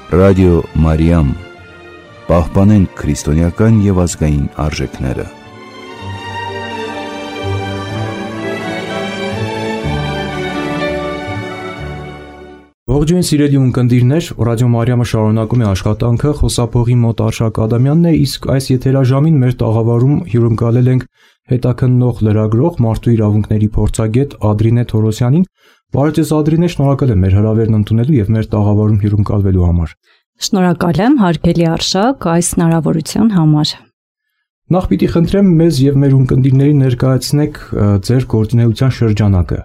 Ռադիո Մարիամ, պահպանենք քրիստոնեական և ազգային արժեքները։ Ողջույն սիրելի ունկնդիրներ, Ռադիո Մարիամը շարունակում է աշխատանքը, խոսափողի մոտ Արշակ Ադամյանն է, իսկ այս եթերաժամին մեր տաղավարում հյուրընկալել ենք հետաքննող լրագրող, մարդու իրավունքների փորձագետ Ադրինե Թորոսյանին։ Բարև ձեզ Ադրինե, շնորհակալ եմ մեր հրավերն ընդունելու եւ մեր տաղավարում հյուրընկալվելու համար։ Շնորհակալ եմ, հարգելի Արշակ, այս հնարավորության համար։ Նախ պիտի խնդրեմ մեզ եւ մեր ունկնդիրներին ներկայացնեք ձեր գործունեության շրջանակը։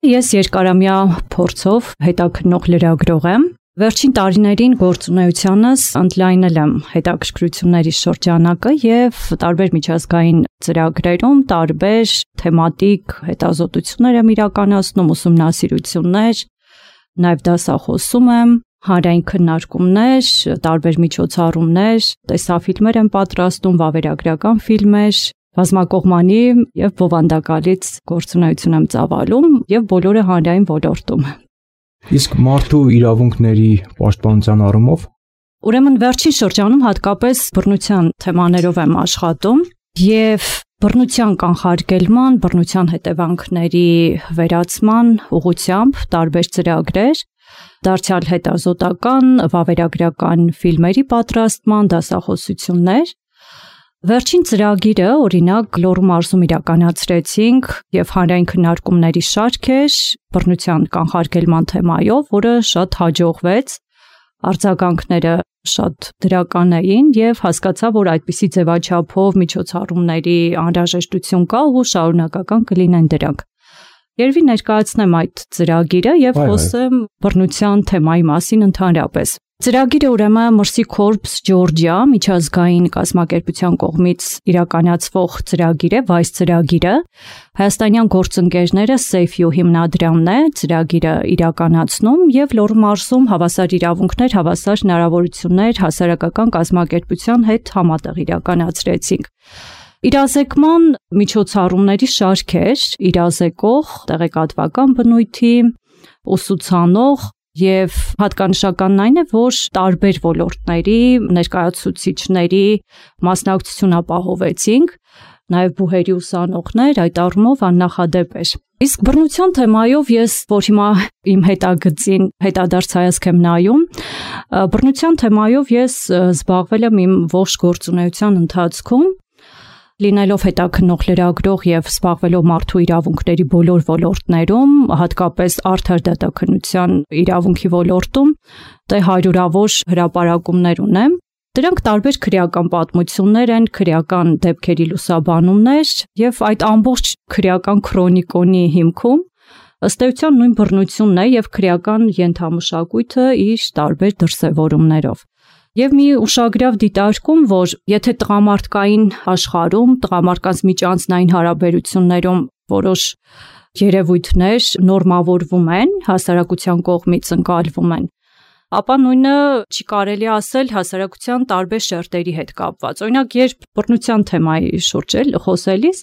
Ես երկարամյա փորձով հետաքննող լրագրող եմ։ Վերջին տարիներին գործունեությանս ընդլայնել եմ հետաքրքրությունների շրջանակը եւ տարբեր միջազգային ծրագրերում տարբեր թեմատիկ հետազոտություններ եմ իրականացնում, ուսումնասիրություններ, նաեւ դասախոսում եմ, հանրային քննարկումներ, տարբեր միջոցառումներ, տեսաֆիլմեր եմ պատրաստում, վավերագրական ֆիլմեր, բազմակողմանի եւ բովանդակալից գործունեություն եմ ծավալում եւ բոլորը հանրային ոլորտում։ Իսկ մարդու իրավունքների պաշտպանության առումով Ուրեմն վերջին շրջանում հատկապես բռնության թեմաներով եմ աշխատում եւ բռնության կանխարգելման, բռնության հետևանքների վերացման ուղղությամբ տարբեր ծրագրեր, դարձյալ հետազոտական, վավերագրական ֆիլմերի պատրաստման, դասախոսություններ։ Վերջին ծրագիրը, օրինակ, Լոռու մարզում իրականացրեցինք եւ հանրային քննարկումների շարք էր բռնության կանխարգելման թեմայով, որը շատ հաջողվեց, արձագանքները շատ դրական էին եւ հասկացա, որ այդպիսի ձևաչափով միջոցառումների անհրաժեշտություն կա ու շարունակական կլինեն դրանք։ Երևի ներկայացնեմ այդ ծրագիրը եւ խոսեմ բռնության թեմայի մասին ընդհանրապես։ Ծրագիրը ուրեմն Mercy Corps Georgia միջազգային կազմակերպության կողմից իրականացվող ծրագիր է, Vice ծրագիրը։ Հայաստանյան գործընկերները Safe You հիմնադրամն է ծրագիրը իրականացնում եւ Լոռու մարզում հավասար իրավունքներ, հավասար հնարավորություններ հասարակական կազմակերպության հետ համատեղ իրականացրեցինք։ Իրազեկման միջոցառումների շարք էր, իրազեկող, տեղեկատվական բնույթի, ուսուցանող եւ հատկանշականն այն է, որ տարբեր ոլորտների ներկայացուցիչների մասնակցություն ապահովեցինք, նաեւ բուհերի ուսանողներ, այդ առումով աննախադեպ էր։ Իսկ բռնության թեմայով ես, որ հիմա իմ հետագծին հետադարձ հայացք եմ նայում, բռնության թեմայով ես զբաղվել եմ իմ ողջ գործունեության ընթացքում, լինելով հետաքննող լրագրող եւ զբաղվելով մարդու իրավունքների բոլոր ոլորտներում, հատկապես արդար դատաքննության իրավունքի ոլորտում, դե հարյուրավոր հրապարակումներ ունեմ։ Դրանք տարբեր քրեական պատմություններ են, քրեական դեպքերի լուսաբանումներ եւ այդ ամբողջ քրեական քրոնիկոնի հիմքում ըստ էության նույն բռնությունն է եւ քրեական ենթամշակույթը իր տարբեր դրսևորումներով։ Եվ մի ուշագրավ դիտարկում, որ եթե տղամարդկային աշխարհում, տղամարդկանց միջանձնային հարաբերություններում որոշ երևույթներ նորմավորվում են, հասարակության կողմից ընկալվում են, ապա նույնը չի կարելի ասել հասարակության տարբեր շերտերի հետ կապված։ Օրինակ, երբ բռնության թեմայի շուրջ խոսելիս,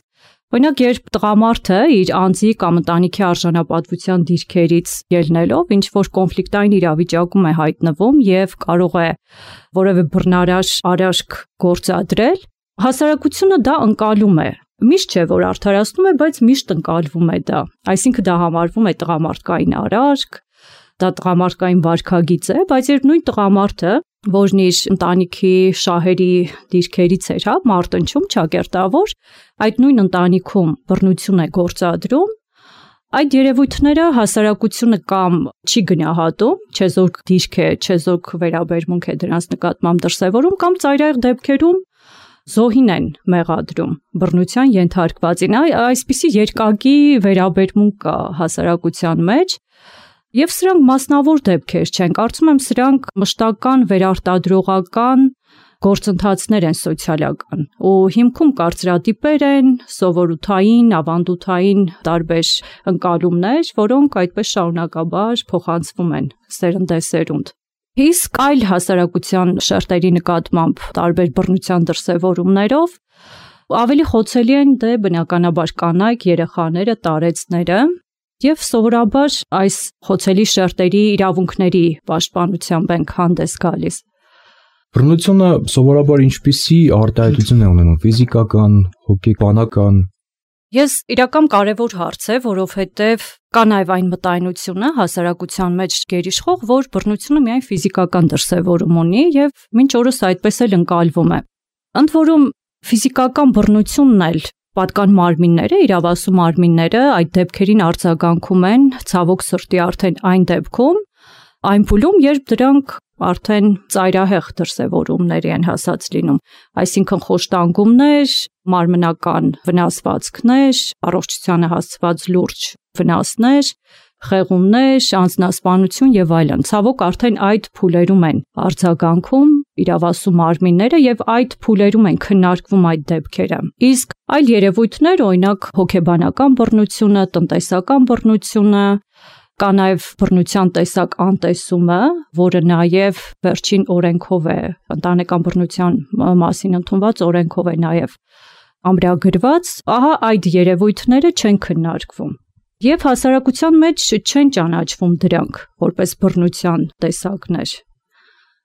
օրինակ, երբ տղամարդը իր անձի կամ ընտանիքի արժանապատվության դիրքերից ելնելով ինչ որ կոնֆլիկտային իրավիճակում է հայտնվում եւ կարող է որևէ բռնարար արարք գործադրել, հասարակությունը դա ընկալում է։ Միշտ չէ, որ արդարացնում է, բայց միշտ ընկալվում է դա։ Այսինքն դա համարվում է տղամարդկային արարք, դա տղամարդկային վարքագիծ է, բայց երբ նույն տղամարդը, որն իր ընտանիքի շահերի դիրքերից էր, մարտնչում, ճակերտավոր, այդ նույն ընտանիքում բռնություն է գործադրում, այդ երևույթները հասարակությունը կամ չի գնահատում, չեզոք դիրք է, չեզոք վերաբերմունք է դրանց նկատմամբ դրսևորում, կամ ծայրահեղ դեպքերում զոհին են մեղադրում բռնության ենթարկվածին։ Այսպիսի երկակի վերաբերմունք կա հասարակության մեջ։ Եվ սրանք մասնավոր դեպքեր չեն, կարծում եմ սրանք մշտական վերարտադրողական գործընթացներ են սոցիալական ու հիմքում կարծրատիպեր են, սովորութային, ավանդութային տարբեր ընկալումներ, որոնք այդպես շարունակաբար փոխանցվում են սերնդեսերունդ։ Իսկ այլ հասարակության շերտերի նկատմամբ տարբեր բռնության դրսևորումներով ավելի խոցելի են դե բնականաբար կանայք, երեխաները, տարեցները եւ սովորաբար այս խոցելի շերտերի իրավունքների պաշտպանությամբ ենք հանդես գալիս։ Բռնությունը սովորաբար ինչպիսի արտահայտություն է ունենում՝ ֆիզիկական, հոգեբանական։ Ես իրական կարևոր հարց է, որովհետև կա նաև այն մտայնությունը հասարակության մեջ գերիշխող, որ բռնությունը միայն ֆիզիկական դրսևորում ունի եւ մինչ օրս այդպես էլ ընկալվում է։ Ընդ որում ֆիզիկական բռնությունն էլ պատկան մարմինները, իրավասու մարմինները այդ դեպքերին արձագանքում են ցավոք սրտի արդեն այն դեպքում, այն փուլում, երբ դրանք արդեն ծայրահեղ դրսևորումների են հասած լինում, այսինքն խոշտանգումներ, մարմնական վնասվածքներ, առողջությանը հասցված լուրջ վնասներ, խեղումներ, անձնասպանություն եւ այլն։ Ցավոք արդեն այդ փուլերում են արձագանքում իրավասու մարմինները եւ այդ փուլերում են քննարկվում այդ դեպքերը։ Իսկ այլ երևույթներ, օրինակ հոգեբանական բռնությունը, տնտեսական բռնությունը, կա նաև բռնության տեսակ անտեսումը, որը նաև վերջին օրենքով է, ընտանեկան բռնության մասին ընդունված օրենքով է նաև ամրագրված, ահա այդ երևույթները չեն քննարկվում։ Եվ հասարակության մեջ չեն ճանաչվում դրանք որպես բռնության տեսակներ։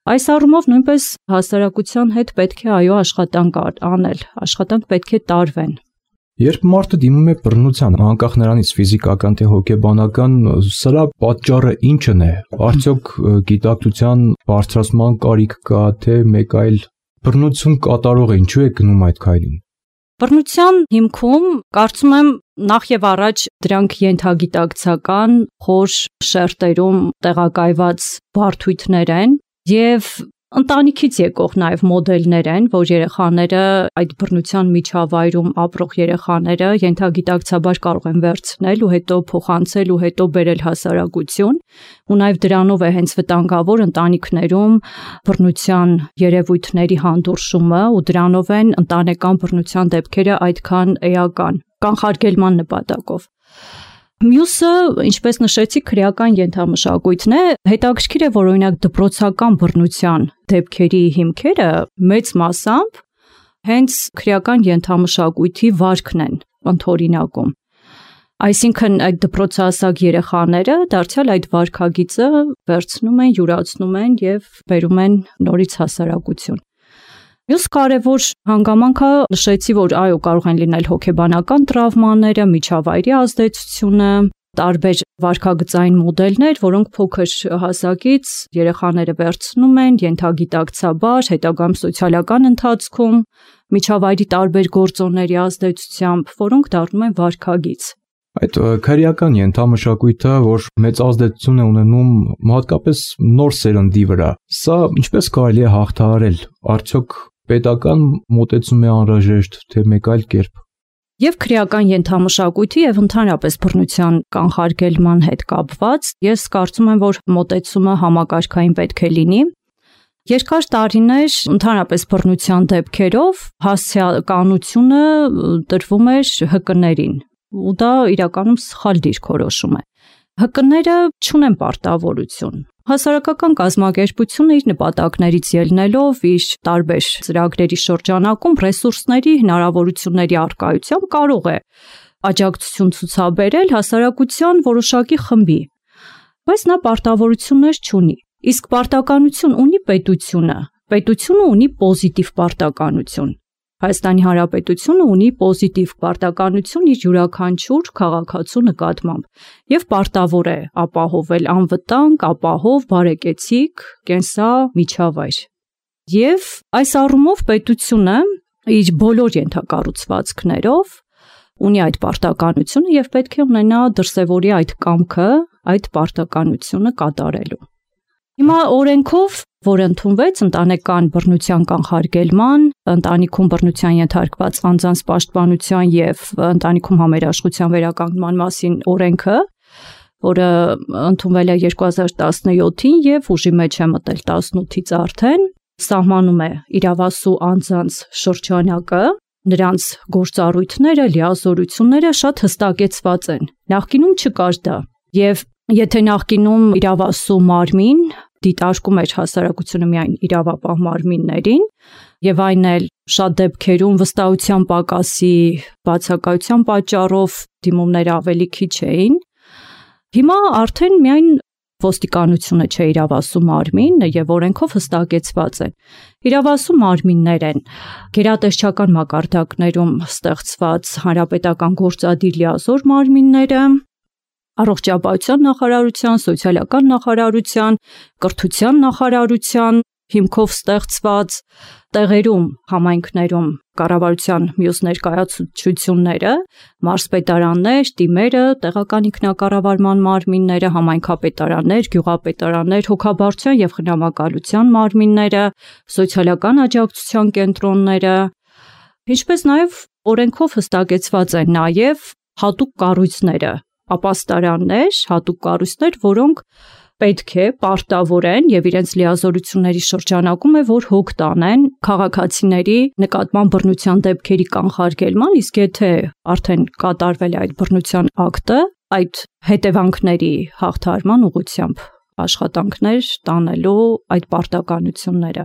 Այս առումով նույնպես հասարակության հետ պետք է աշխատանք անել, աշխատանք պետք է տարվեն։ Երբ մարդը դիմում է բռնության, անկախ նրանից ֆիզիկական թե հոգեբանական, սրա պատճառը ինչն է։ Արդյոք գիտակցության բարձրացման կարիք կա, թե մեկ այլ բռնություն կատարողը ինչու է գնում այդ քայլին։ Բռնության հիմքում կարծում եմ նախ եւ առաջ դրանք ենթագիտակցական խոր շերտերում տեղակայված բարդույթներ են եւ ընտանիքից եկող նաև մոդելներ են, որ երեխաները այդ բռնության միջավայրում ապրող երեխաները ենթագիտակցաբար կարող են վերցնել ու հետո փոխանցել ու հետո բերել հասարակություն, ու նաև դրանով է հենց վտանգավոր ընտանիքներում բռնության երևույթների հանդուրժումը ու դրանով են ընտանեկան բռնության դեպքերը այդքան էական, կանխարգելման նպատակով։ Մյուսը, ինչպես նշեցի, քրեական ենթամշակույթն է, հետաքրքիր է, որ օրինակ դպրոցական բռնության դեպքերի հիմքերը մեծ մասամբ հենց քրեական ենթամշակույթի վարքն են ընդօրինակում։ Այսինքն այդ դպրոցահասակ երեխաները դարձյալ այդ վարքագիծը վերցնում են, յուրացնում են եւ բերում են նորից հասարակություն։ Մյուս կարևոր հանգամանքը նշեցի, որ այո, կարող են լինել հոգեբանական տրավմաները, միջավայրի ազդեցությունը, տարբեր վարքագծային մոդելներ, որոնք փոքր հասակից երեխաները վերցնում են ենթագիտակցաբար, հետագայում սոցիալական ընթացքում, միջավայրի տարբեր գործոնների ազդեցությամբ, որոնք դառնում են վարքագիծ։ Այդ քրեական ենթամշակույթը, որ մեծ ազդեցություն է ունենում հատկապես նոր սերնդի վրա, սա ինչպես կարելի է հաղթահարել։ Արդյոք պետական մոտեցում է անհրաժեշտ, թե մեկ այլ կերպ։ Եվ քրեական ենթամշակույթի եւ ընդհանրապես բռնության կանխարգելման հետ կապված, ես կարծում եմ, որ մոտեցումը համակարգային պետք է լինի։ Երկար տարիներ ընդհանրապես բռնության դեպքերով հասարակականությունը տրվում էր ՀԿ-ներին, ու դա իրականում սխալ դիրքորոշում է։ ՀԿ-ները չունեն պարտավորություն։ Հասարակական կազմակերպությունը իր նպատակներից ելնելով իր տարբեր ծրագրերի շրջանակում ռեսուրսների հնարավորությունների առկայությամբ կարող է աջակցություն ցուցաբերել հասարակության որոշակի խմբի, բայց նա պարտավորություններ չունի։ Իսկ պարտականություն ունի պետությունը։ Պետությունը ունի պոզիտիվ պարտականություն։ Հայաստանի Հանրապետությունը ունի պոզիտիվ պարտականություն իր յուրաքանչյուր քաղաքացու նկատմամբ եւ պարտավոր է ապահովել անվտանգ, ապահով, բարեկեցիկ կենսամիջավայր։ Եվ այս առումով պետությունը իր բոլոր ենթակառուցվածքներով ունի այդ պարտականությունը եւ պետք է ունենա դրսեւորի այդ կամքը, այդ պարտականությունը կատարելու։ Հիմա օրենքով, որ ընդունվեց ընտանեկան բռնության կանխարգելման, ընտանիքում բռնության ենթարկված անձանց պաշտպանության եւ ընտանիքում համերաշխության վերականգնման մասին օրենքը, որը ընդունվել է 2017-ին եւ ուժի մեջ է մտել 18-ից արդեն, սահմանում է իրավասու անձանց շրջանակը, նրանց գործառույթները, լիազորությունները շատ հստակեցված են։ Նախկինում չկար դա եւ եթե նախկինում իրավասու մարմին դիտարկում էր հասարակությունը միայն իրավապահ մարմիններին եւ այն էլ շատ դեպքերում վստահության պակասի բացակայության պատճառով դիմումները ավելի քիչ էին, Հիմա արդեն միայն ոստիկանությունը չէ իրավասու մարմին եւ օրենքով հստակեցված է։ Իրավասու մարմիններ են գերատեսչական մակարդակներում ստեղծված հանրապետական գործադիր լիազոր մարմինները, առողջապահության նախարարության, սոցիալական նախարարության, կրթության նախարարության հիմքով ստեղծված տեղերում, համայնքներում կառավարության մյուս ներկայացուցչությունները, մարզպետարաններ, տիմերը, տեղական ինքնակառավարման մարմինները, համայնքապետարաններ, գյուղապետարաններ, հոգաբարձության եւ խնամակալության մարմինները, սոցիալական աջակցության կենտրոնները, ինչպես նաեւ օրենքով հստակեցված են նաեւ հատուկ կառույցները, ապաստարաններ, հատուկ կառույցներ, որոնք պետք է պարտավորեն եւ իրենց լիազորությունների շրջանակում է, որ հոգ տանեն քաղաքացիների նկատմամբ բռնության դեպքերի կանխարգելման, իսկ եթե արդեն կատարվել է այդ բռնության ակտը, այդ հետևանքների հաղթարման ուղղությամբ աշխատանքներ տանելու այդ պարտականությունները։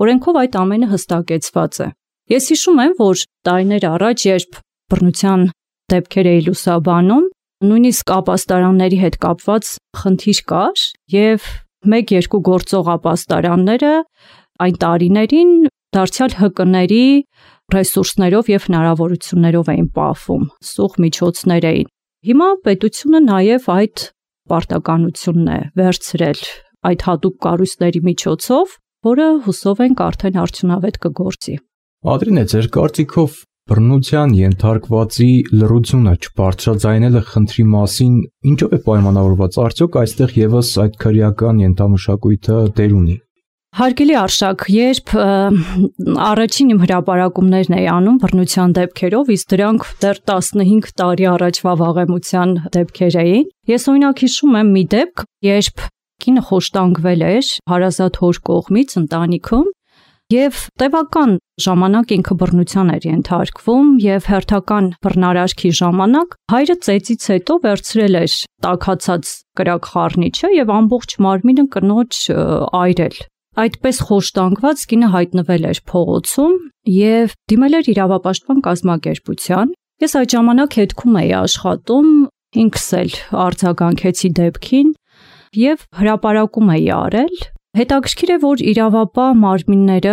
Օրենքով այդ ամենը հստակեցված է։ Ես հիշում եմ, որ տարիներ առաջ, երբ բռնության դեպքեր էի լուսաբանում, նույնիսկ ապաստարանների հետ կապված խնդիր կար եւ 1-2 գործող ապաստարանները այն տարիներին դարձյալ ՀԿ-ների ռեսուրսներով եւ հնարավորություններով էին պահվում, սուղ միջոցներ էին։ Հիմա պետությունը նաեւ այդ պարտականությունն է վերցրել այդ հատուկ կառույցների միջոցով, որը հուսով ենք արդեն արդյունավետ կգործի։ Ադրինե, ձեր կարծիքով բռնության ենթարկվածի լռությունը չբարձրաձայնելը խնդրի մասին ինչով է պայմանավորված, արդյոք այստեղ եւս այդ քրեական ենթամշակույթը դեր ունի։ Հարգելի Արշակ, երբ առաջին իմ հրապարակումներն էի անում բռնության դեպքերով, իսկ դրանք դեռ 15 տարի առաջվա վաղեմության դեպքեր էին, ես օրինակ հիշում եմ մի դեպք, երբ կինը խոշտանգվել էր հարազատ հոր կողմից ընտանիքում եւ տևական ժամանակ ինքը բռնության էր ենթարկվում եւ հերթական բռնարարքի ժամանակ հայրը ծեծից հետո վերցրել էր տաքացած կրակ խառնիչը եւ ամբողջ մարմինը կնոջ այրել։ Այդպես խոշտանգված կինը հայտնվել էր փողոցում եւ դիմել էր իրավապաշտպան կազմակերպության։ Ես այդ ժամանակ հետքում էի աշխատում, ինքս էլ արձագանքեցի դեպքին եւ հրապարակում էի արել։ Հետաքրքիր է, որ իրավապահ մարմինները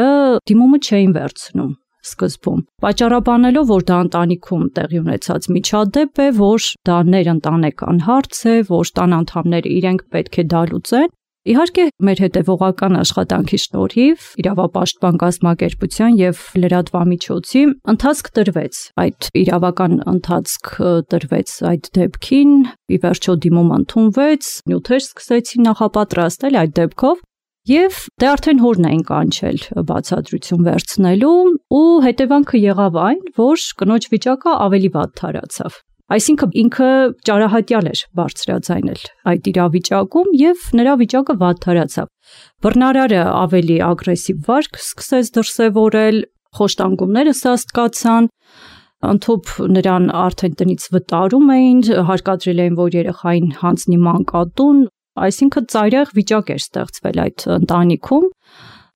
դիմումը չէին վերցնում սկզբում, պատճառաբանելով, որ դա ընտանիքում տեղի ունեցած միջադեպ է, որ դա ներընտանեկան հարց է, որ տան անդամները իրենք պետք է դա լուծեն։ Իհարկե, մեր հետևողական աշխատանքի շնորհիվ իրավապաշտպան կազմակերպության եւ լրատվամիջոցի ընթացք տրվեց, այդ իրավական ընթացք տրվեց այդ դեպքին, ի վերջո դիմումը ընդունվեց, նյութեր սկսեցին նախապատրաստել այդ դեպքով։ Եվ դե արդեն հորն էին կանչել բացատրություն վերցնելու ու հետևանքը եղավ այն, որ կնոջ վիճակը ավելի վատ թարացավ։ Այսինքն ինքը ճարահատյալ էր բարձրաձայնել այդ իրավիճակում եւ նրա վիճակը վատ թարացավ։ Բռնարարը ավելի ագրեսիվ վարք սկսեց դրսևորել, խոշտանգումները սաստկացան, ընդհանուր նրան արդեն տնից վտարում էին, հարկադրել էին, որ երեխային հանձնի մանկատուն, այսինքն ծայրահեղ վիճակ էր ստեղծվել այդ ընտանիքում։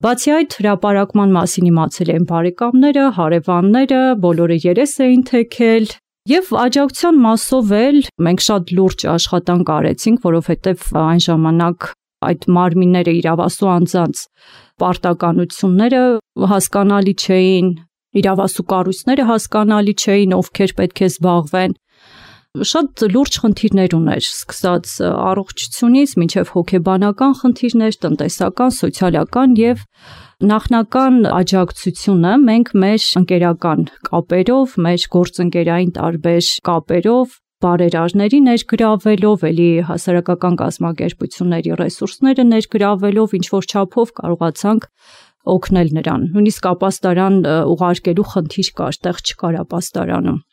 Բացի այդ, հրապարակման մասին իմացել էին բարեկամները, հարևանները, բոլորը երես էին թեքել եւ աջակցության մասով էլ մենք շատ լուրջ աշխատանք արեցինք, որովհետեւ այն ժամանակ այդ մարմինները իրավասու անձանց պարտականությունները հասկանալի չէին, իրավասու կառույցները հասկանալի չէին, ովքեր պետք է զբաղվեն։ Շատ լուրջ խնդիրներ ուներ, սկսած առողջությունից մինչև հոգեբանական խնդիրներ, տնտեսական, սոցիալական եւ նախնական աջակցությունը մենք մեր ընկերական կապերով, մեր գործընկերային տարբեր կապերով, բարերարների ներգրավելով, էլի հասարակական կազմակերպությունների ռեսուրսները ներգրավելով, ինչ որ չափով կարողացանք օգնել նրան։ Նույնիսկ ապաստարան ուղարկելու խնդիր կար, տեղ չկար ապաստարանում։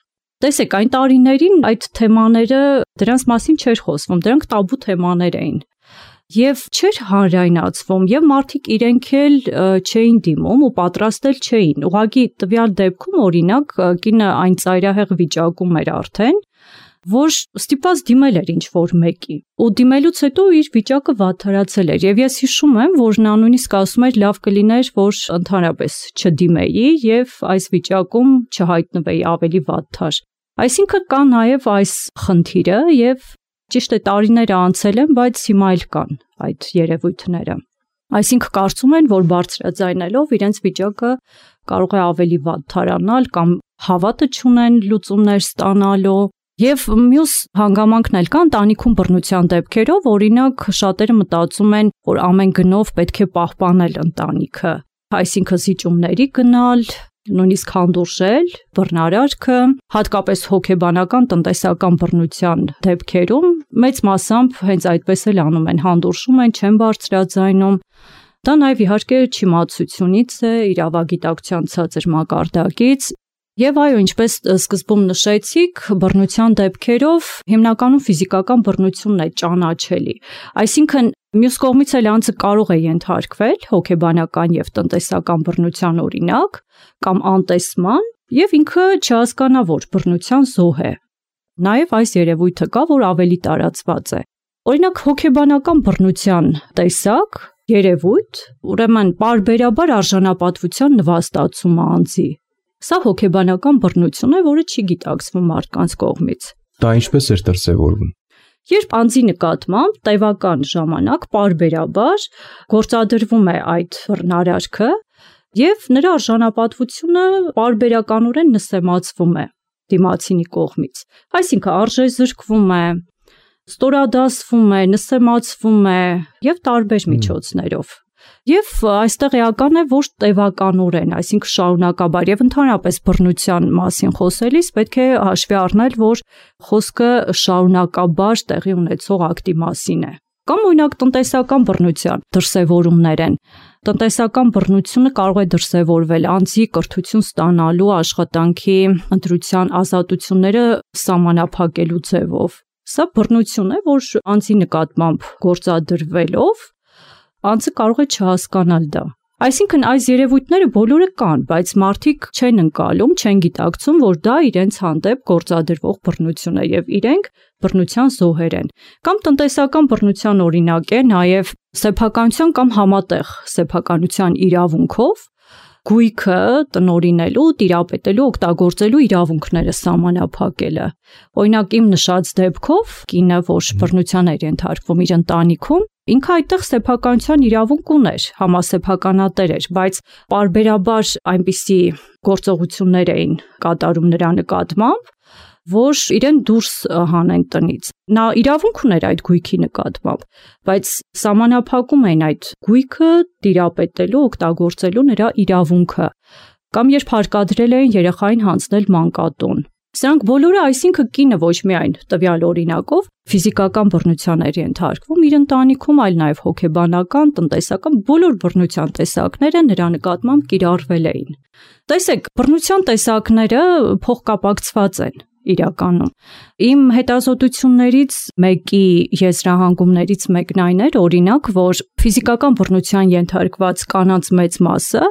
Տեսեք, այն տարիներին այդ թեմաները դրանց մասին չէր խոսվում, դրանք տաբու թեմաներ էին։ Եվ չէր հանրայնացվում, եւ մարդիկ իրենք էլ չէին դիմում ու պատրաստել չէին։ Ուղղակի տվյալ դեպքում օրինակ կինը այն ծայրահեղ վիճակում էր արդեն, որ ստիպված դիմել էր ինչ-որ մեկի։ Ու դիմելուց հետո իր վիճակը վատթարացել էր։ Եվ ես հիշում եմ, որ նա նույնիսկ ասում էր լավ կլիներ, որ ընդհանրապես չդիմեի եւ այս վիճակում չհայտնվեի ավելի վատթար։ Այսինքն կա նաև այս խնդիրը եւ Ճիշտ է, տարիները անցել են, բայց հիմա էլ կան այդ երևույթները։ Այսինքն կարծում են, որ բարձրաձայնելով իրենց վիճակը կարող է ավելի վատ թարանալ կամ հավատը չունեն լուծումներ ստանալու։ Եվ մյուս հանգամանքն էլ կա ընտանիքում բռնության դեպքերով, օրինակ շատերը մտածում են, որ ամեն գնով պետք է պահպանել ընտանիքը, այսինքն զիջումների գնալ, նույնիսկ հանդուրժել բռնարարքը, հատկապես հոգեբանական տնտեսական բռնության դեպքերում մեծ մասամբ հենց այդպես էլ անում են, հանդուրժում են, չեն բարձրաձայնում։ Դա նաև իհարկե չիմացությունից է, իրավագիտակցության ցածր մակարդակից։ Եվ այո, ինչպես սկզբում նշեցիք, բռնության դեպքերով հիմնականում ֆիզիկական բռնությունն է ճանաչելի։ Այսինքն մյուս կողմից էլ անձը կարող է ենթարկվել հոգեբանական եւ տնտեսական բռնության օրինակ կամ անտեսման եւ ինքը չհասկանա, որ բռնության զոհ է։ Նաեւ այս երևույթը կա, որ ավելի տարածված է։ Օրինակ հոգեբանական բռնության տեսակ, երևույթ, ուրեմն պարբերաբար արժանապատվության նվաստացումը անձի։ Սա հոգեբանական բռնություն է, որը չի գիտակցվում մարդկանց կողմից։ Դա ինչպես էր դրսևորվում։ Երբ անձի նկատմամբ տևական ժամանակ պարբերաբար գործադրվում է այդ բռնարարքը եւ նրա արժանապատվությունը պարբերականորեն նսեմացվում է դիմացինի կողմից։ Այսինքն արժեզրկվում է, ստորադասվում է, նսեմացվում է եւ տարբեր միջոցներով։ Եվ այստեղ էական է, որ տևականորեն, այսինքն շարունակաբար եւ ընդհանրապես բռնության մասին խոսելիս պետք է հաշվի առնել, որ խոսքը շարունակաբար տեղի ունեցող ակտի մասին է։ Կամ օրինակ տնտեսական բռնության դրսևորումներ են։ Տնտեսական բռնությունը կարող է դրսևորվել անձի կրթություն ստանալու, աշխատանքի ընտրության ազատությունները սահմանափակելու ձևով։ Սա բռնություն է, որ անձի նկատմամբ գործադրվելով անձը կարող է չհասկանալ դա։ Այսինքն այս երևույթները բոլորը կան, բայց մարդիկ չեն ընկալում, չեն գիտակցում, որ դա իրենց հանդեպ գործադրվող բռնություն է եւ իրենք բռնության զոհեր են։ Կամ տնտեսական բռնության օրինակ է նաեւ սեփականության կամ համատեղ սեփականության իրավունքով գույքը տնօրինելու, տիրապետելու, օգտագործելու իրավունքները սահմանափակելը։ Օրինակ իմ նշած դեպքով կինը, որ բռնության էր ենթարկվում իր ընտանիքում, ինքը այդտեղ սեփականության իրավունք ուներ, համասեփականատեր էր, բայց պարբերաբար այնպիսի գործողություններ էին կատարում նրա նկատմամբ, որ իրեն դուրս հանեն տնից։ Նա իրավունք ուներ այդ գույքի նկատմամբ, բայց սահմանափակում էին այդ գույքը տիրապետելու, օգտագործելու նրա իրավունքը, կամ երբ հարկադրել էին երեխային հանձնել մանկատուն։ Սրանք բոլորը, այսինքն կինը ոչ միայն տվյալ օրինակով ֆիզիկական բռնության էր ենթարկվում իր ընտանիքում, այլ նաև հոգեբանական, տնտեսական բոլոր բռնության տեսակները նրա նկատմամբ կիրառվել էին։ Տեսեք, բռնության տեսակները փոխկապակցված են իրականում։ Իմ հետազոտություններից մեկի եզրահանգումներից մեկն այն էր, օրինակ, որ ֆիզիկական բռնության ենթարկված կանանց մեծ մասը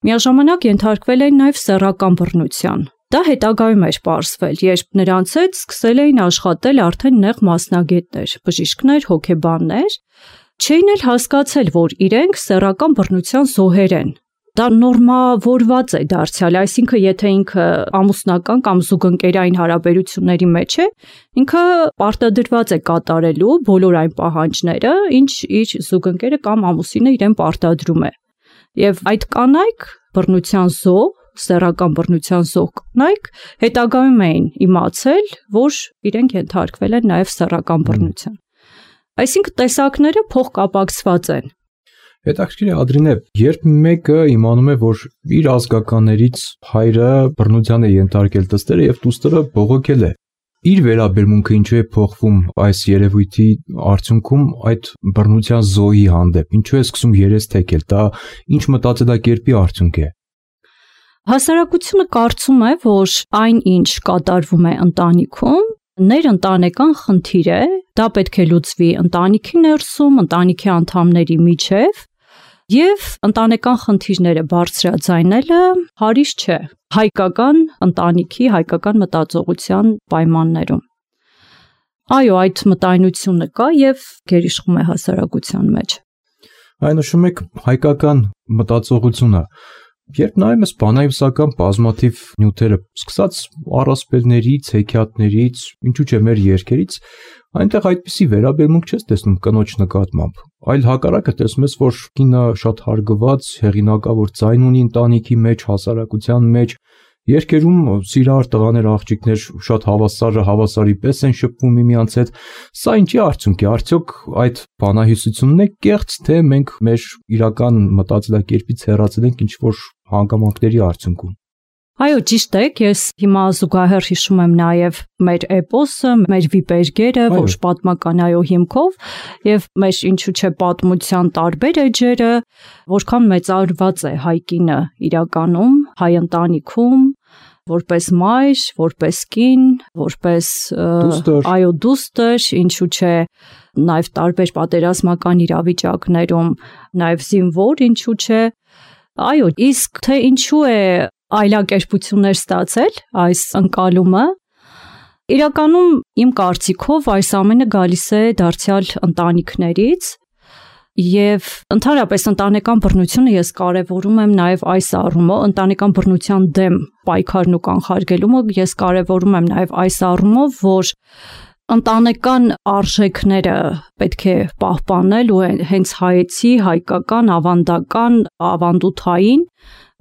միաժամանակ ենթարկվել են նաև սեռական բռնության։ Դա հետագայում էր պարզվել, երբ նրանց հետ սկսել էին աշխատել արդեն նեղ մասնագետներ, բժիշկներ, հոգեբաններ, չէին էլ հասկացել, որ իրենք սեռական բռնության զոհեր են։ Դա նորմավորված է դարձյալ, այսինքն եթե ինքը ամուսնական կամ զուգընկերային հարաբերությունների մեջ է, ինքը պարտադրված է կատարելու բոլոր այն պահանջները, ինչ իր զուգընկերը կամ ամուսինը իրեն պարտադրում է։ Եվ այդ կանայք բռնության զոհ, սեռական բռնության զոհ կանայք հետագայում էին իմացել, որ իրենք ենթարկվել են նաև սեռական բռնության։ Այսինքն տեսակները փոխկապակցված են։ Հետաքրքիր է, Ադրինե, երբ մեկը իմանում է, որ իր ազգականներից հայրը բռնության է ենթարկել դստերը եւ դուստերը բողոքել է, իր վերաբերմունքը ինչու է փոխվում այս երևույթի արդյունքում այդ բռնության զոհի հանդեպ, ինչու է սկսում երես թեքել, դա ինչ մտածելակերպի արդյունք է։ Հասարակությունը կարծում է, որ այն ինչ կատարվում է ընտանիքում, ներընտանեկան խնդիր է, դա պետք է լուծվի ընտանիքի ներսում, ընտանիքի անդամների միջև, եւ ընտանեկան խնդիրները բարձրաձայնելը հարիշ չէ հայկական ընտանիքի, հայկական մտածողության պայմաններում։ Այո, այդ մտայնությունը կա եւ գերիշխում է հասարակության մեջ։ Այն նշում եք հայկական մտածողությունը, Երբ նայում ես բանահյուսական բազմաթիվ նյութերը, սկսած առասպելներից, հեքիաթներից, ինչու՞ չէ մեր երգերից, այնտեղ այդպիսի վերաբերմունք չես տեսնում կնոջ նկատմամբ, այլ հակառակը տեսնում ես, որ կինը շատ հարգված, հեղինակավոր ձայն ունի ընտանիքի մեջ, հասարակության մեջ, երգերում սիրահար տղաներ, աղջիկներ շատ հավասարի պես են շփվում միմյանց հետ, սա ինչի արդյունք է, արդյոք այդ բանահյուսությունն է կեղծ, թե մենք մեր իրական մտածելակերպից հեռացել ենք ինչ-որ հանգամանքների արդյունքում։ Այո, ճիշտ է, ես հիմա զուգահեռ հիշում եմ նաև մեր էպոսը, մեր վիպերգերը, ոչ պատմական այո հիմքով, եւ մեր ինչու՞ չէ պատմության տարբեր էջերը, որքան մեծարված է հայ կինը իրականում, հայ ընտանիքում, որպես մայր, որպես կին, որպես այո դուստր, ինչու՞ չէ նաև տարբեր պատերազմական իրավիճակներում, նաև զինվոր, ինչու՞ չէ։ Այո, իսկ թե ինչու է այլակերպություններ ստացել այս ընկալումը, իրականում իմ կարծիքով այս ամենը գալիս է դարձյալ ընտանիքներից եւ ընդհանրապես ընտանեկան բռնությունը ես կարևորում եմ նաեւ այս առումով, ընտանեկան բռնության դեմ պայքարն ու կանխարգելումը ես կարևորում եմ նաեւ այս առումով, որ ընտանեկան արժեքները պետք է պահպանել ու հենց հայեցի, հայկական, ավանդական, ավանդութային,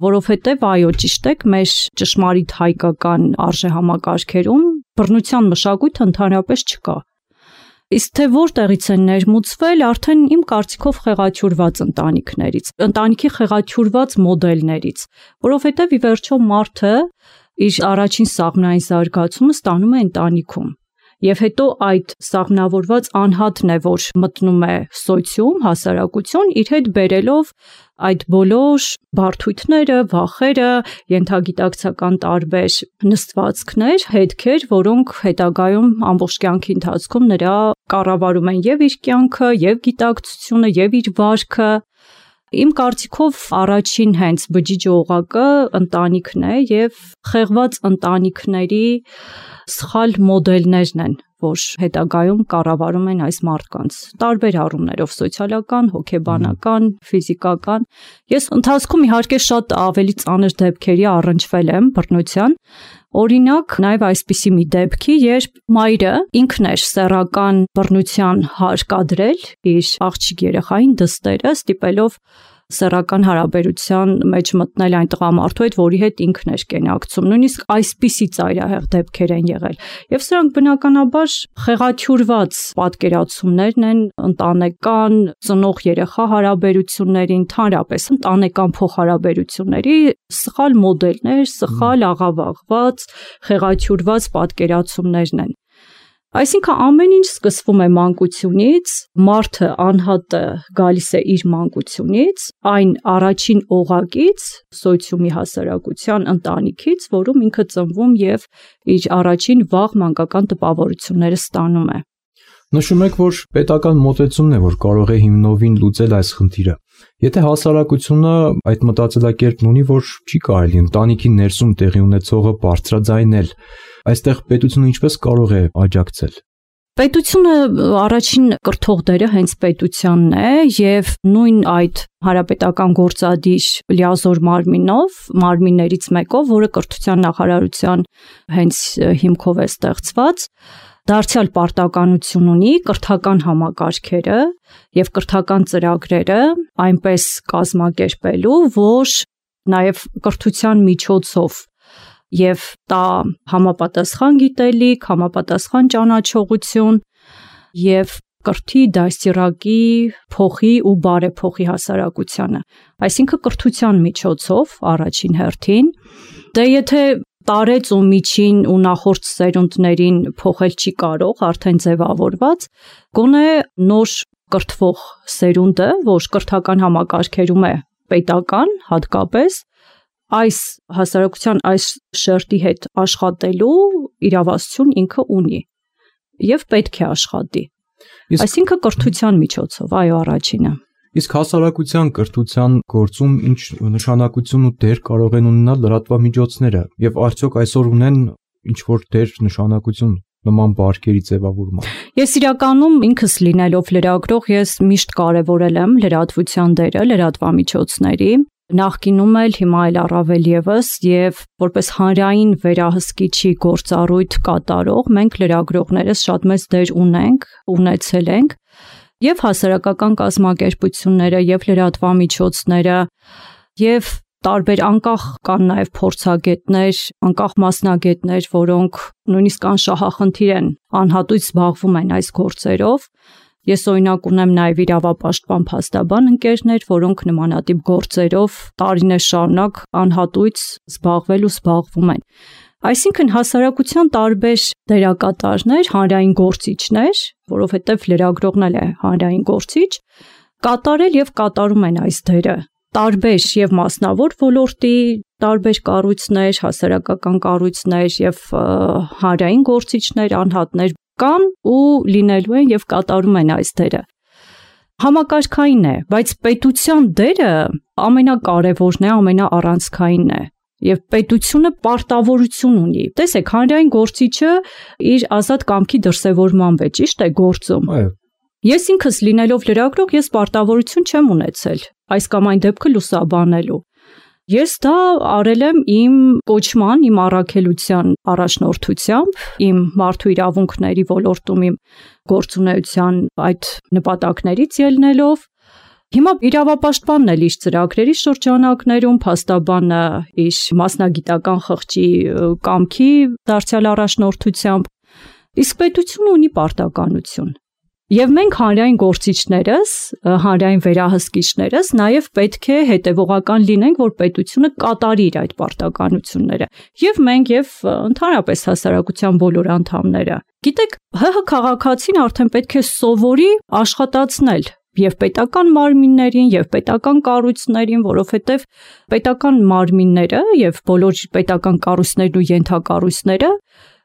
որովհետև այո ճիշտ եք, մեր ճշմարիտ հայկական արժեհամակարգերում բռնության մշակույթը ընդհանրապես չկա։ Իսկ թե որտեղից են ներմուծվել, արդեն իմ կարծիքով խեղաթյուրված ընտանիքներից, ընտանիքի խեղաթյուրված մոդելներից, որովհետև ի վերջո մարդը իր առաջին սաղմնային զարգացումը ստանում է ընտանիքում։ Եվ հետո այդ սաղմնավորված անհատն է, որ մտնում է սոցիում, հասարակություն, իր հետ բերելով այդ բոլոր բարդույթները, վախերը, ենթագիտակցական տարբեր նստվածքներ, հետքեր, որոնք հետագայում ամբողջ կյանքի ընթացքում նրա կառավարում են եւ իր կյանքը, եւ գիտակցությունը, եւ իր վարքը։ Իմ կարծիքով առաջին հենց բջիջ օղակը ընտանիքն է եւ խեղված ընտանիքների սխալ մոդելներն են, որ հետագայում կառավարում են այս մարդկանց տարբեր առումներով՝ սոցիալական, հոգեբանական, ֆիզիկական։ Ես ընթացքում իհարկե շատ ավելի ծանր դեպքերի առնչվել եմ բռնության։ Օրինակ, նաև այսպիսի մի դեպքի, երբ մայրը ինքն էր սեռական բռնության հարկադրել իր աղջիկ երեխային դստերը, ստիպելով սեռական հարաբերության մեջ մտնել այն տղամարդու հետ, որի հետ ինքն էր կենակցում։ Նույնիսկ այսպիսի ծայրահեղ դեպքեր են եղել։ Եվ սրանք բնականաբար խեղաթյուրված պատկերացումներն են ընտանեկան, ծնող երեխա հարաբերությունների, ընդհանրապես ընտանեկան փոխհարաբերությունների սխալ մոդելներ, սխալ աղավաղված, խեղաթյուրված պատկերացումներն են։ Այսինքն ամեն ինչ սկսվում է մանկությունից, մարդը անհատը գալիս է իր մանկությունից, այն առաջին օղակից, սոցիումի հասարակության ընտանիքից, որում ինքը ծնվում եւ իր առաջին վաղ մանկական տպավորությունները ստանում է։ Նշում եք, որ պետական մոտեցումն է, որ կարող է հիմնովին լուծել այս խնդիրը։ Եթե հասարակությունը այդ մտածելակերպն ունի, որ չի կարելի ընտանիքի ներսում տեղի ունեցողը բարձրաձայնել, այստեղ պետությունը ինչպես կարող է աջակցել։ Պետությունը առաջին կրթող դերը հենց պետությանն է եւ նույն այդ հանրապետական գործադիր լիազոր մարմիններից մեկով, որը կրթության նախարարության հենց հիմքով է ստեղծված, դարձյալ պարտականություն ունի կրթական համակարգերը եւ կրթական ծրագրերը այնպես կազմակերպելու, որ նաեւ կրթության միջոցով եւ տա համապատասխան գիտելիք, համապատասխան ճանաչողություն եւ կրթի, դաստիարակի, փոխի ու բարեփոխի հասարակությանը։ Այսինքն կրթության միջոցով առաջին հերթին, դե եթե տարեց ու միջին ու նախորդ սերունդներին փոխել չի կարող, արդեն ձևավորված, գոնե նոր կրթվող սերունդը, որ կրթական համակարգերում է պետական, հատկապես այս հասարակության այս շերտի հետ աշխատելու իրավասություն ինքը ունի եւ պետք է աշխատի։ Այսինքն կրթության միջոցով, այո, առաջինը։ Իսկ հասարակության կրթության գործում ինչ նշանակություն ու դեր կարող են ունենալ լրատվամիջոցները եւ արդյոք այսօր ունեն ինչ որ դեր նշանակություն նման բարքերի ձևավորման։ Ես իրականում ինքս լինելով լրագրող, ես միշտ կարևորել եմ լրատվության դերը, լրատվամիջոցների նախկինում էլ, հիմա էլ առավել եւս, եւ որպես հանրային վերահսկիչի գործառույթ կատարող մենք լրագրողներս շատ մեծ դեր ունեցել ենք, եւ հասարակական կազմակերպությունները, եւ լրատվամիջոցները, եւ տարբեր անկախ կան նաև փորձագետներ, անկախ մասնագետներ, որոնք նույնիսկ անշահախնդիր են, անհատույց զբաղվում են այս գործերով։ Ես օրինակ ունեմ նաև իրավապաշտպան փաստաբան ընկերներ, որոնք նմանատիպ գործերով տարիներ շարունակ անհատույց զբաղվում են։ Այսինքն հասարակության տարբեր դերակատարներ, հանրային գործիչներ, որովհետև լրագրողն էլ է հանրային գործիչ, կատարել եւ կատարում են այս դերը։ Տարբեր եւ մասնավոր ոլորտի տարբեր կառույցներ, հասարակական կառույցներ եւ հանրային գործիչներ, անհատներ կան ու լինելու են եւ կատարում են այս դերը։ Համակարգային է, բայց պետության դերը ամենակարևորն է, ամենաառանցքայինն է։ Եվ պետությունը պարտավորություն ունի։ Տեսեք, հանրային գործիչը իր ազատ կամքի դրսևորման վեճ, ճիշտ է, գործում։ Ես ինքս լինելով լրագրող, ես պարտավորություն չեմ ունեցել այս կամ այն դեպքը լուսաբանելու։ Ես դա արել եմ իմ կոչման, իմ առաքելության առաջնորդությամբ, իմ մարդու իրավունքների ոլորտում իմ գործունեության այդ նպատակներից ելնելով։ Հիմա իրավապաշտպանն էլ իր ծրագրերի շրջանակներում, փաստաբանը իր մասնագիտական խղճի կամքի դարձյալ առաջնորդությամբ, իսկ պետությունը ունի պարտականություն։ Եվ մենք հանրային գործիչներս, հանրային վերահսկիչներս նաև պետք է հետևողական լինենք, որ պետությունը կատարի իր այդ պարտականությունները։ Եվ մենք եւ ընդհանրապես հասարակության բոլոր անդամները։ Գիտեք, ՀՀ քաղաքացին արդեն պետք է սովորի աշխատացնել եւ պետական մարմիններին եւ պետական կառույցներին, որովհետեւ պետական մարմինները եւ բոլոր պետական կառույցներն ու ենթակառույցները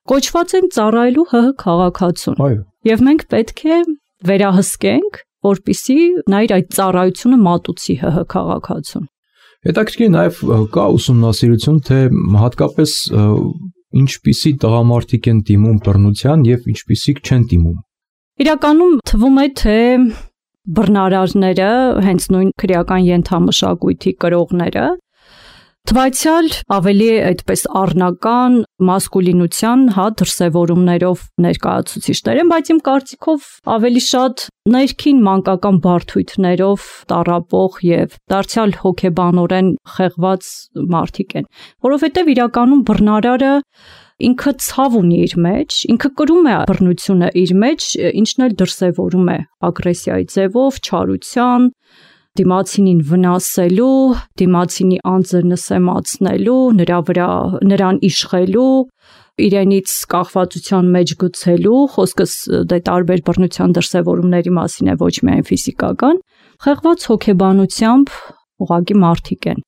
կոչված են ծառայելու ՀՀ քաղաքացուն։ Եվ մենք պետք է վերահսկենք, որպիսի նա իր այդ ծառայությունը մատուցի ՀՀ քաղաքացուն։ Հետաքրքիր նաև կա ուսումնասիրություն, թե հատկապես ինչպիսի տղամարդիկ են դիմում բռնության եւ ինչպիսիք չեն դիմում։ Իրականում թվում է, թե բռնարարները, հենց նույն քրեական ենթամշակույթի կրողները, թվայցյալ ավելի այդպես առնական մասկուլինության դրսևորումներով ներկայացուցիչներ են, բայց իմ կարծիքով ավելի շատ ներքին մանկական բարդույթներով տառապող եւ դարձյալ հոգեբանորեն խեղված մարդիկ են, որովհետեւ իրականում բռնարարը ինքը ցավ ունի իր մեջ, ինքը կրում է բռնությունը իր մեջ, ինչն էլ դրսևորում է ագրեսիայի ձևով, չարության, դիմացինին վնասելու, դիմացինի անձը նսեմացնելու, նրան իշխելու, իրենից կախվածության մեջ գցելու, խոսքս դե տարբեր բռնության դրսևորումների մասին է, ոչ միայն ֆիզիկական, խեղված հոգեբանությամբ ուղղակի մարդիկ են։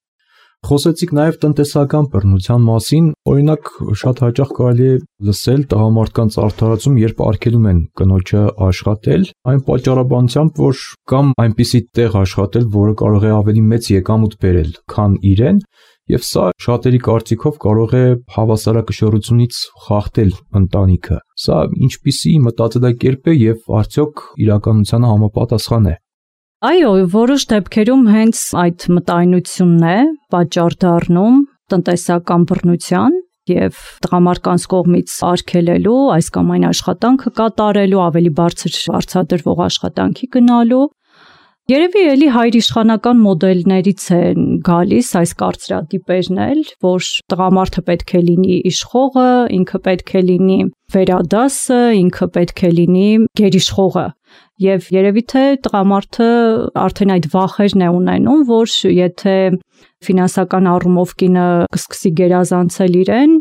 Խոսեցիք նաև տնտեսական բռնության մասին, օրինակ շատ հաճախ կարելի է լսել տղամարդկանց արդարացում, երբ արգելում են կնոջը աշխատել, այն պատճառաբանությամբ, որ կամ այնպիսի տեղ աշխատել, որը կարող է ավելի մեծ եկամուտ բերել, քան իրեն, եւ սա շատերի կարծիքով կարող է հավասարակշռությունից խախտել ընտանիքը։ Սա ինչպիսի մտածելակերպ է եւ արդյոք իրականությանը համապատասխան է։ Այո, որոշ դեպքերում հենց այդ մտայնությունն է պատճառ դառնում տնտեսական բռնության եւ տղամարդկանց կողմից արգելելու, այս կամ այն աշխատանքը կատարելու, ավելի բարձր վարձատրվող աշխատանքի գնալու։ Երևի էլի հայրիշխանական մոդելներից են գալիս այս կարծրատիպերն էլ, որ տղամարդը պետք է լինի իշխողը, ինքը պետք է լինի վերադասը, ինքը պետք է լինի գերիշխողը։ Եվ երևի թե տղամարդը արդեն այդ վախերն է ունենում, որ եթե ֆինանսական առումով կինը կսկսի գերազանցել իրեն,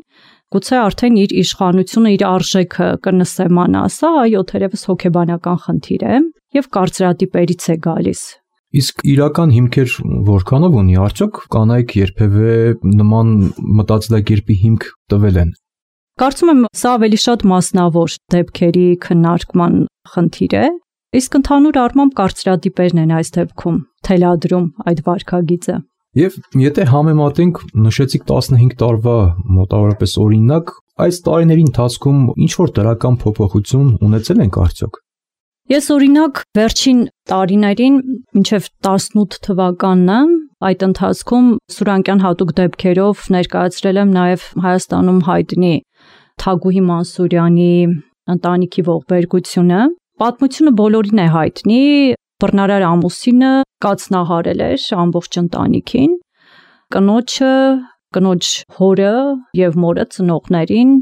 գուցե արդեն իր իշխանությունը, իր արժեքը կնսեմանա, սա այո, թերևս հոգեբանական խնդիր է եւ կարծրատիպերից է գալիս։ Իսկ իրական հիմքեր որքանով ունի, արդյոք կանայք երբևէ նման մտածելակերպի հիմք տվել են։ Կարծում եմ սա ավելի շատ մասնավոր դեպքերի քննարկման խնդիր է, իսկ ընդհանուր առմամբ կարծրատիպերն են այս դեպքում թելադրում այդ վարքագիծը։ Եվ եթե համեմատենք, նշեցիք 15 տարվա մոտավորապես օրինակ, այս տարիների ընթացքում ինչ որ դրական փոփոխություն ունեցել ենք արդյոք։ Ես օրինակ վերջին տարիներին, մինչև 18 թվականն Այդ ընթացքում Սուրանկյան հատուկ դեպքերով ներկայացրել եմ նաև Հայաստանում հայտնի Թագուհի Մանսուրյանի ընտանիքի ողբերգությունը։ Պատմությունը բոլորին է հայտնի, բռնարար ամուսինը կացնահարել էր ամբողջ ընտանիքին, կնոջը, կնոջ հորը եւ մորը ծնողներին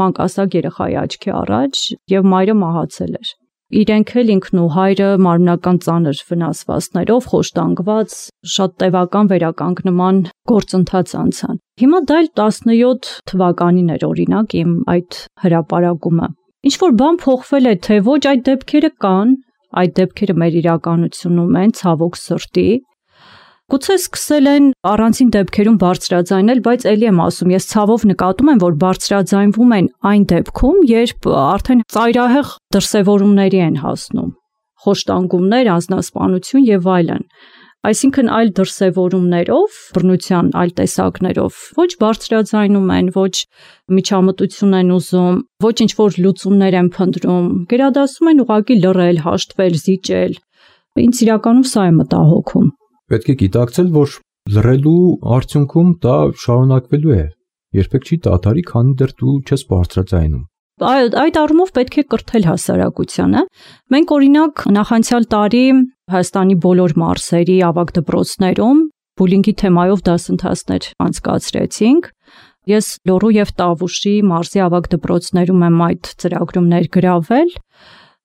մանկասակ երեխայի աչքի առաջ եւ մայրը մահացել էր։ Իրենք էլ ինքն ու հայրը մարմնական ծանր վնասվածքներով խոշտանգված շատ տևական վերականգնման գործընթաց անցան։ Հիմա դա 17 թվականին էր օրինակ իմ այդ հրապարակումը։ Ինչ որ բան փոխվել է, թե ոչ, այդ դեպքերը կան, այդ դեպքերը մեր իրականությունում են, ցավոք սրտի։ Գուցե սկսել են առանցին դեպքերում բարձրաձայնել, բայց ելի եմ ասում, ես ցավով նկատում եմ, որ բարձրաձայնվում են այն դեպքում, երբ արդեն ծայրահեղ դրսևորումների են հասնում, խոշտանգումներ, անձնասպանություն եւ այլն։ Այսինքն այլ դրսևորումներով, բռնության այլ տեսակներով ոչ բարձրաձայնում են, ոչ միջամտություն են ուզում, ոչ ինչ-որ լուծումներ են փնտրում, գերադասում են ուղղակի լռել, հաշտվել, զիջել։ Ինձ իրականում սա է մտահոգում։ Պետք է գիտակցել, որ լռելու արդյունքում դա շարունակվելու է։ Երբեք չի դադարի, քանի դեռ դու չես բարձրաձայնում։ Այդ առումով պետք է կրթել հասարակությանը։ Մենք օրինակ նախանցյալ տարի Հայաստանի բոլոր մարզերի ավագ դպրոցներում բուլինգի թեմայով դասընթացներ անցկացրեցինք։ Ես Լոռու եւ Տավուշի մարզի ավագ դպրոցներում եմ այդ ծրագրում ներգրավել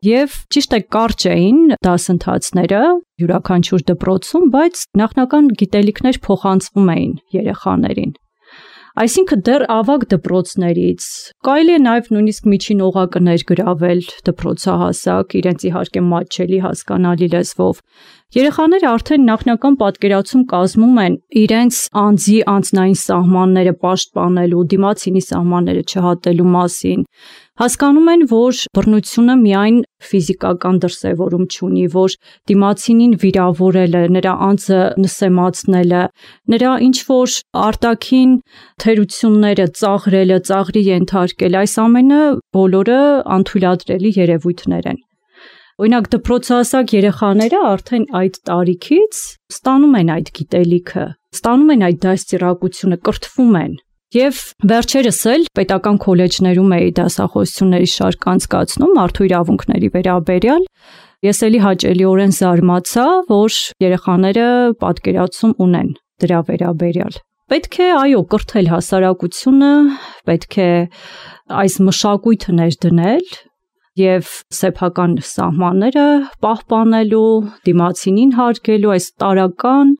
եւ ճիշտ է կարճ էին դասընթացները յուրաքանչյուր դպրոցում, բայց նախնական գիտելիքներ փոխանցվում էին երեխաներին։ Այսինքն դեռ ավագ դպրոցներից կարելի է նաև նույնիսկ միջին օղակը ներգրավել դպրոցահասակ, իրենց իհարկե մատչելի հասկանալի լեզվով։ Երեխաները արդեն նախնական պատկերացում կազմում են իրենց անձի անձնային սահմանները պաշտպանելու, դիմացինի սահմանները չհատելու մասին։ Հասկանում են, որ բռնությունը միայն ֆիզիկական դրսևորում չունի, որ դիմացինին վիրավորելը, նրա անձը նսեմացնելը, նրա ինչ-որ արտաքին թերությունները ծաղրելը, ծաղրի ենթարկել, այս ամենը բոլորը անթույլատրելի երևույթներ են։ Օրինակ դպրոցահասակ երեխաները արդեն այդ տարիքից ստանում են այդ գիտելիքը, ստանում են այդ դաստիարակությունը, կրթվում են։ Եվ վերջերս էլ պետական քոլեջներում էի դասախոսությունների շարք անցկացնում մարդու իրավունքների վերաբերյալ։ Ես էլի հաճելիորեն զարմացա, որ երեխաները պատկերացում ունեն դրա վերաբերյալ։ Պետք է, այո, կրթել հասարակությունը, պետք է այս մշակույթը ներդնել եւ սեփական սահմանները պահպանելու, դիմացինին հարգելու, այս տարական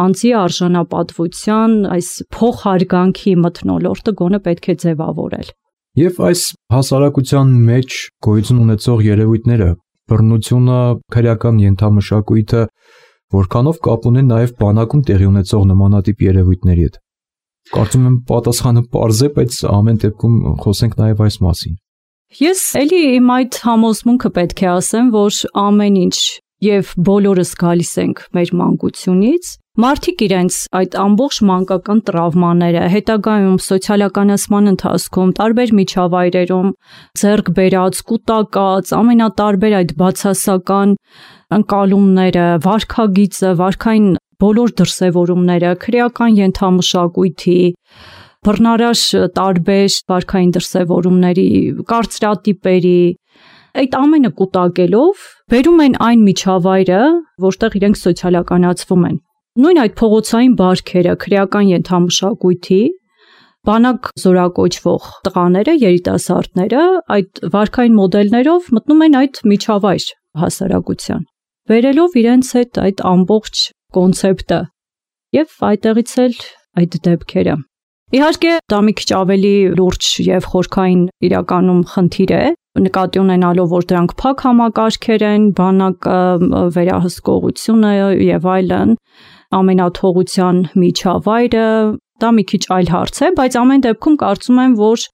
անձի արժանապատվության, այս փոխհարգանքի մթնոլորտը գոնե պետք է ձևավորել։ Եվ այս հասարակության մեջ գոյություն ունեցող երևույթները, բռնությունը, քրեական ենթամշակույթը, որքանով կապ ունեն նաև բանակում տեղի ունեցող նմանատիպ երևույթների հետ։ Կարծում եմ պատասխանը պարզ է, բայց ամեն դեպքում խոսենք նաև այս մասին։ Ես էլի իմ այդ համոզմունքը պետք է ասեմ, որ ամեն ինչ եւ բոլորս գալիս ենք մեր մանկությունից, մարդիկ իրենց այդ ամբողջ մանկական տրավմաները հետագայում սոցիալականացման ընթացքում տարբեր միջավայրերում ձեռք բերած, կուտակած, ամենատարբեր այդ բացասական ընկալումները, վարքագիծը, վարքային բոլոր դրսևորումները, քրեական ենթամշակույթի, բռնարար տարբեր վարքային դրսևորումների, կարծրատիպերի, այդ ամենը կուտակելով բերում են այն միջավայրը, որտեղ իրենք սոցիալականացվում են։ Նույն այդ փողոցային բարքերը, քրեական ենթամշակույթի, բանակ զորակոչվող տղաները, երիտասարդները այդ վարքային մոդելներով մտնում են այդ միջավայր հասարակության, բերելով իրենց հետ այդ ամբողջ կոնցեպտը եւ այդտեղից էլ այդ դեպքերը։ Իհարկե, դա մի քիչ ավելի լուրջ եւ խորքային իրականում խնդիր է, նկատի ունենալով, որ դրանք փակ համակարգեր են, բանակը, վերահսկողությունը եւ այլն, ամենաթողության միջավայրը, դա մի քիչ այլ հարց է, բայց ամեն դեպքում կարծում եմ, որ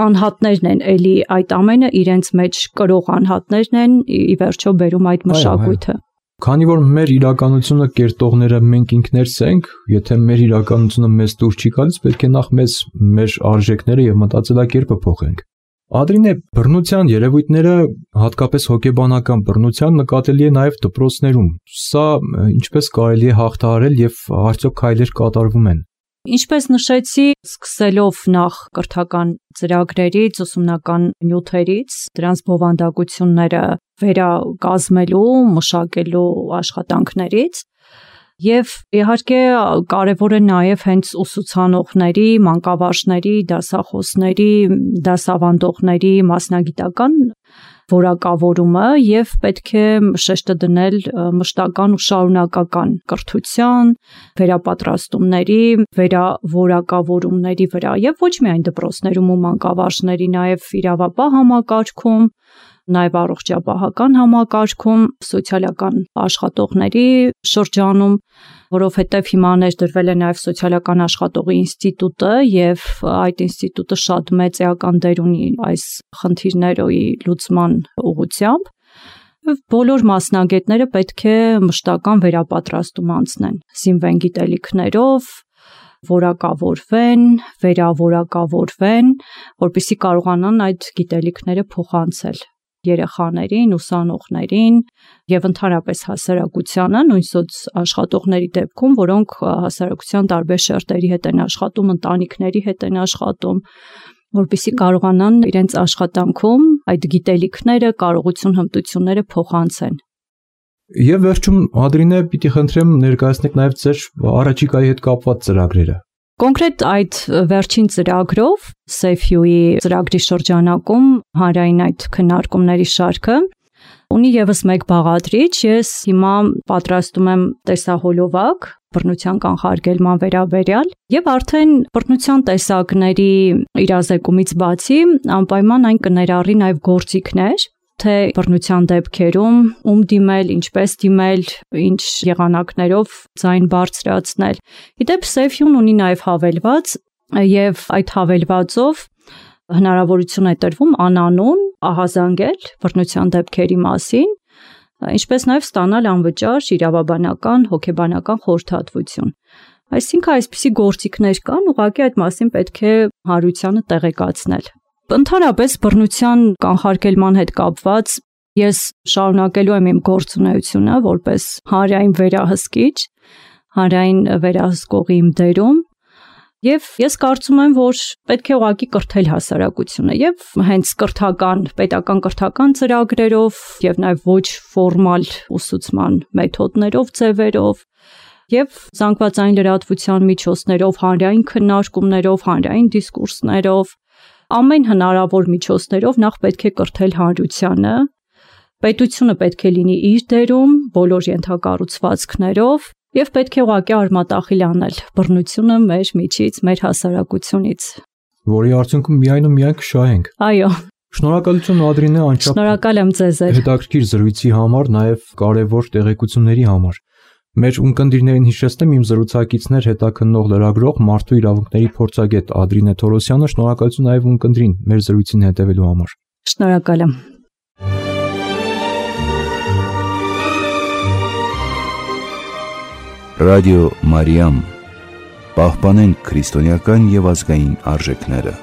անհատներն են էլի այդ ամենը իրենց մեջ կրող անհատներն են ի վերջո բերում այդ մշակույթը։ Քանի որ մեր իրականությունը կերտողները մենք ինքներս ենք, եթե մեր իրականությունը մեզ դուր չի գալիս, պետք է նախ մեզ մեր արժեքները եւ մտածելակերպը փոխենք։ Ադրինե, բռնության երևույթները, հատկապես հոգեբանական բռնության, նկատելի է նաև դպրոցներում։ Սա ինչպես կարելի է հաղթահարել եւ արդյոք քայլեր կատարվում են։ Ինչպես նշեցի, սկսելով նախ կրթական ծրագրերից, ուսումնական նյութերից, դրանց բովանդակությունները վերակազմելու, մշակելու աշխատանքներից, եւ իհարկե կարևոր է նաև հենց ուսուցանողների, մանկավարժների, դասախոսների, դասավանդողների մասնագիտական որակավորումը եւ պետք է շեշտը դնել մշտական ու շարունակական կրթության, վերապատրաստումների, վերավորակավորումների վրա եւ ոչ միայն դպրոցներում ու մանկավարժների, նաև իրավապահ համակարգում, նաև առողջապահական համակարգում, սոցիալական աշխատողների շրջանում, որովհետև հիմա ներդրվել է նաև սոցիալական աշխատողի ինստիտուտը եւ այդ ինստիտուտը շատ մեծ էական դեր ունի այս խնդիրների լուծման ուղղությամբ։ Բոլոր մասնագետները պետք է մշտական վերապատրաստում անցնեն, զինվեն գիտելիքներով, որակավորվեն, վերավորակավորվեն, որպեսզի կարողանան այդ գիտելիքները փոխանցել երեխաներին, ուսանողներին եւ ընդհանրապես հասարակությանը, նույն աշխատողների դեպքում, որոնք հասարակության տարբեր շերտերի հետ են աշխատում, ընտանիքների հետ են աշխատում, որպեսզի կարողանան իրենց աշխատանքում այդ գիտելիքները, կարողություն, հմտությունները փոխանցեն։ Եվ վերջում Ադրինե, պիտի խնդրեմ ներկայացնեք նաև ձեր առաջիկայի հետ կապված ծրագրերը։ Կոնկրետ այդ վերջին ծրագրով, SafeU-ի ծրագրի շրջանակում հանրային այդ քննարկումների շարքը ունի եւս մեկ բաղադրիչ։ Ես հիմա պատրաստում եմ տեսահոլովակ բռնության կանխարգելման վերաբերյալ եւ արդեն բռնության տեսակների իրազեկումից բացի անպայման այն կներառի նաեւ գործիքներ, թե բռնության դեպքերում ում դիմել, ինչպես դիմել, ինչ եղանակներով ձայն բարձրացնել։ Իդեպ SafeU-ն ունի նաև հավելված եւ այդ հավելվածով հնարավորություն է տրվում անանուն ահազանգել բռնության դեպքերի մասին, ինչպես նաև ստանալ անվճար իրավաբանական, հոգեբանական խորհրդատվություն։ Այսինքն այսպիսի գործիքներ կան, ուղղակի այդ մասին պետք է հանրությանը տեղեկացնել։ Ընդհանրապես բռնության կանխարգելման հետ կապված ես շարունակելու եմ իմ գործունեությունը որպես հանրային վերահսկիչ, հանրային վերահսկողի իմ դերում եւ ես կարծում եմ, որ պետք է ուղղակի կրթել հասարակությունը եւ հենց կրթական, պետական կրթական ծրագրերով եւ նաեւ ոչ ֆորմալ ուսուցման մեթոդներով, ձևերով եւ զանգվածային լրատվության միջոցներով, հանրային քննարկումներով, հանրային դիսկուրսներով ամեն հնարավոր միջոցներով նախ պետք է կրթել հանրությանը, պետությունը պետք է լինի իր դերում, բոլոր ենթակառուցվածքներով եւ պետք է ուղղակի արմատախիլ անել բռնությունը մեր միջից, մեր հասարակությունից, որի արդյունքում միայն ու միայն կշահենք։ Այո։ Շնորհակալություն Ադրինե, անչափ շնորհակալ եմ ձեզ։ Հետաքրքիր զրույցի համար, նաեւ կարեւոր տեղեկությունների համար։ Մեր ունկնդիրներին հիշեցնեմ իմ զրուցակիցներ հետաքննող լրագրող մարդու իրավունքների փորձագետ Ադրինե Թորոսյանը, շնորհակալություն նաև ունկնդրին մեր զրույցին հետևելու համար։ Շնորհակալ եմ։ Ռադիո Մարիամ, պահպանենք քրիստոնեական եւ ազգային արժեքները։